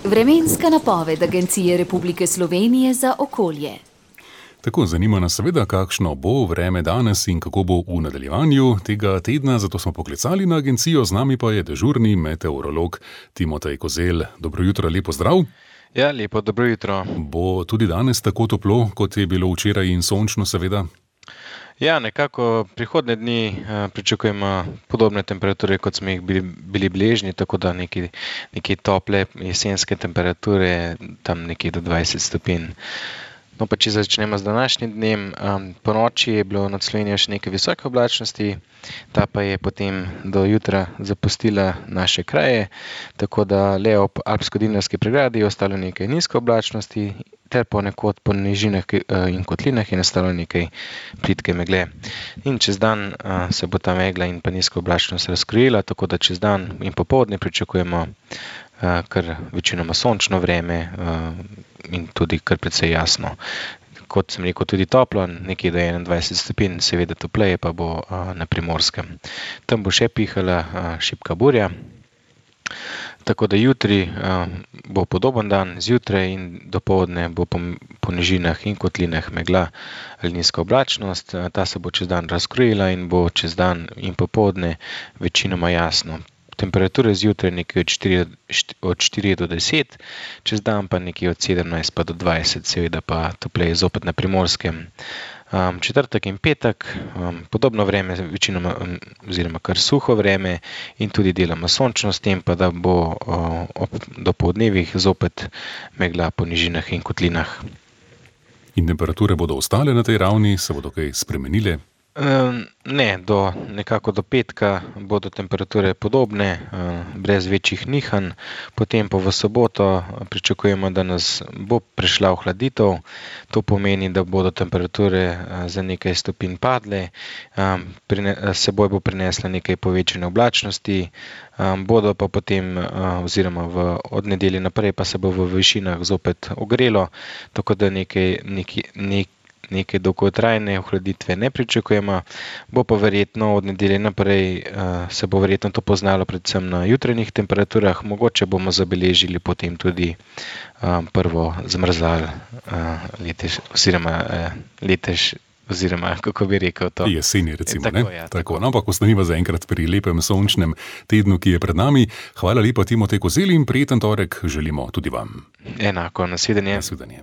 Vremenska napoved Agencije Republike Slovenije za okolje. Tako, zanima nas seveda, kakšno bo vreme danes in kako bo v nadaljevanju tega tedna, zato smo poklicali na agencijo, z nami pa je dežurni meteorolog Timotej Kozelj. Dobro jutro, lepo zdrav. Ja, lepo, dobro jutro. Bo tudi danes tako toplo, kot je bilo včeraj in sončno seveda? Ja, nekako prihodnje dni pričakujemo podobne temperature, kot smo jih bili beležni, tako da neke tople jesenske temperature, tam nekje do 20 stopinj. No, pa če začnemo z današnjim dnem, po noči je bilo nad Slovenijo še nekaj visoke oblačnosti, ta pa je potem do jutra zapustila naše kraje, tako da le ob Alpsko-Dinarski pregradi je ostalo nekaj nizke oblačnosti, ter ponekod po nižinah in kotlinah je nastalo nekaj plitke megle. In čez dan se bo ta megla in pa nizka oblačnost razkrila, tako da čez dan in popoldne pričakujemo kar večinoma sončno vreme in tudi kar precej jasno. Kot sem rekel, tudi toplo, nekje do 21 stopinj, seveda topleje pa bo na Primorskem. Tam bo še pihala šibka burja. Tako da jutri bo podoben dan, zjutraj in dopoldne bo po nižinah in kotlinah megla ali nizka oblačnost. Ta se bo čez dan razkrojila in bo čez dan in popoldne večinoma jasno. Temperature zjutraj nekje od 4 do 10, čez dan pa nekje od 17 pa do 20, seveda pa topleje zopet na Primorskem. Četrtek in petek, podobno vreme, večinoma oziroma kar suho vreme in tudi deloma sončno, s tem pa da bo ob dopoldnevih zopet megla po nižinah in kotlinah. In temperature bodo ostale na tej ravni, se bodo kaj spremenile? Ne, nekako do petka bodo temperature podobne, brez večjih nihanj. Potem pa v soboto pričakujemo, da nas bo prišla ohladitev. To pomeni, da bodo temperature za nekaj stopinj padle, seboj bo prinesla nekaj povečane oblačnosti, bodo pa potem oziroma od nedelje naprej pa se bo v višinah zopet ogrelo, tako da neke dolgotrajne ohladitve ne pričakujemo, bo pa verjetno od nedelje naprej se bo verjetno to poznalo predvsem na jutranjih temperaturah, mogoče bomo zabeležili potem tudi prvo zmrzal oziroma kako bi rekel to? Jeseni recimo, tako, ne? Ja, tako. No, ampak ostaniva zaenkrat pri lepem sončnem tednu, ki je pred nami. Hvala lepa, Timotej Kozelj, in prijeten torek želimo tudi vam. Enako, nasvidenje. Nasvidenje.